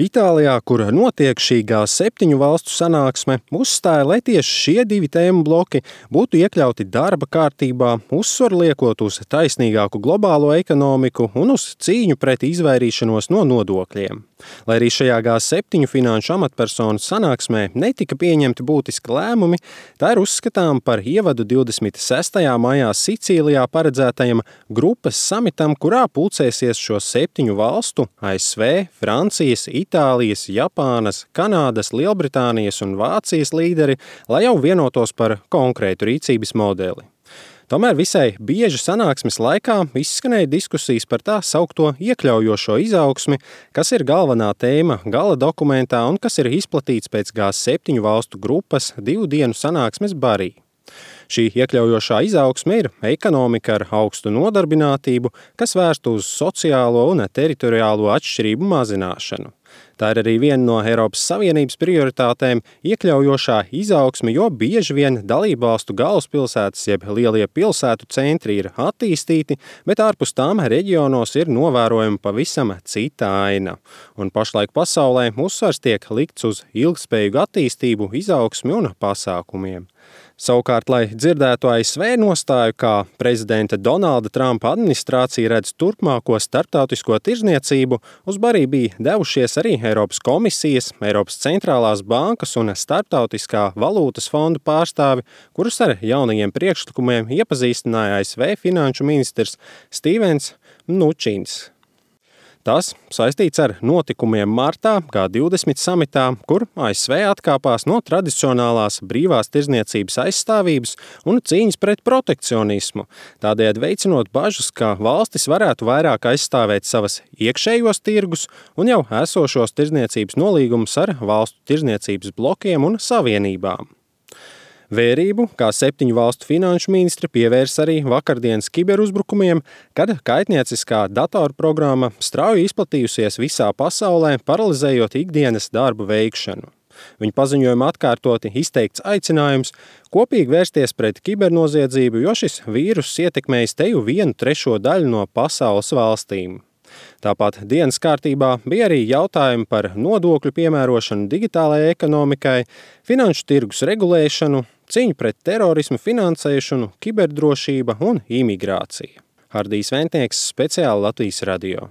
Itālijā, kur notiek šī G7 valstu sanāksme, uzstāja, lai tieši šie divi tēmu bloki būtu iekļauti darba kārtībā, uzsvaru liekot uz taisnīgāku globālo ekonomiku un uz cīņu pret izvairīšanos no nodokļiem. Lai arī šajā G7 finanšu amatpersonu sanāksmē netika pieņemti būtiski lēmumi, tā ir uzskatām par ievadu 26. maijā Sicīlijā paredzētajam grupas samitam, kurā pulcēsies šo 7 valstu – ASV, Francijas, Itālijas, Japānas, Kanādas, Lielbritānijas un Vācijas līderi, lai jau vienotos par konkrētu rīcības modeli. Tomēr visai bieži sanāksmes laikā izskanēja diskusijas par tā saukto iekļaujošo izaugsmi, kas ir galvenā tēma gala dokumentā un kas ir izplatīts pēc G7 valstu grupas 2 dienu sanāksmes Barī. Šī iekļaujošā izaugsme ir ekonomika ar augstu nodarbinātību, kas vērsta uz sociālo un teritoriālo atšķirību mazināšanu. Tā ir arī viena no Eiropas Savienības prioritātēm – iekļaujošā izaugsme, jo bieži vien dalībvalstu galvaspilsētas jeb lielie pilsētu centri ir attīstīti, bet ārpus tām reģionos ir novērojama pavisam cita aina. Un pašlaik pasaulē uzsvars tiek likts uz ilgspējīgu attīstību, izaugsmi un pasākumiem. Savukārt, lai dzirdētu ASV nostāju, kā prezidenta Donalda Trumpa administrācija redz turpmāko starptautisko tirzniecību, uz Barī bija devušies arī Eiropas komisijas, Eiropas centrālās bankas un Starptautiskā valūtas fonda pārstāvi, kurus ar jaunajiem priekšlikumiem iepazīstināja ASV finanšu ministrs Stevens Mnučins. Tas saistīts ar notikumiem martā G20 samitā, kur ASV atkāpās no tradicionālās brīvās tirzniecības aizstāvības un cīņas pret protekcionismu, tādējādi veicinot bažas, ka valstis varētu vairāk aizstāvēt savas iekšējos tirgus un jau esošos tirzniecības nolīgumus ar valstu tirzniecības blokiem un savienībām. Vērību G7 valstu finanšu ministri pievērs arī vakardienas kiberuzbrukumiem, kad kaitnieciskā datorprogramma strauji izplatījusies visā pasaulē, paralizējot ikdienas darbu veikšanu. Viņa paziņojuma atkārtoti izteikts aicinājums kopīgi vērsties pret kibernoziedzību, jo šis vīruss ietekmējis teju 1/3 daļu no pasaules valstīm. Tāpat dienas kārtībā bija arī jautājumi par nodokļu piemērošanu digitālajai ekonomikai, finanšu tirgus regulēšanu, cīņu pret terorismu finansēšanu, kiberdrošība un imigrācija. Hardijs Ventnieks, speciāli Latvijas radio.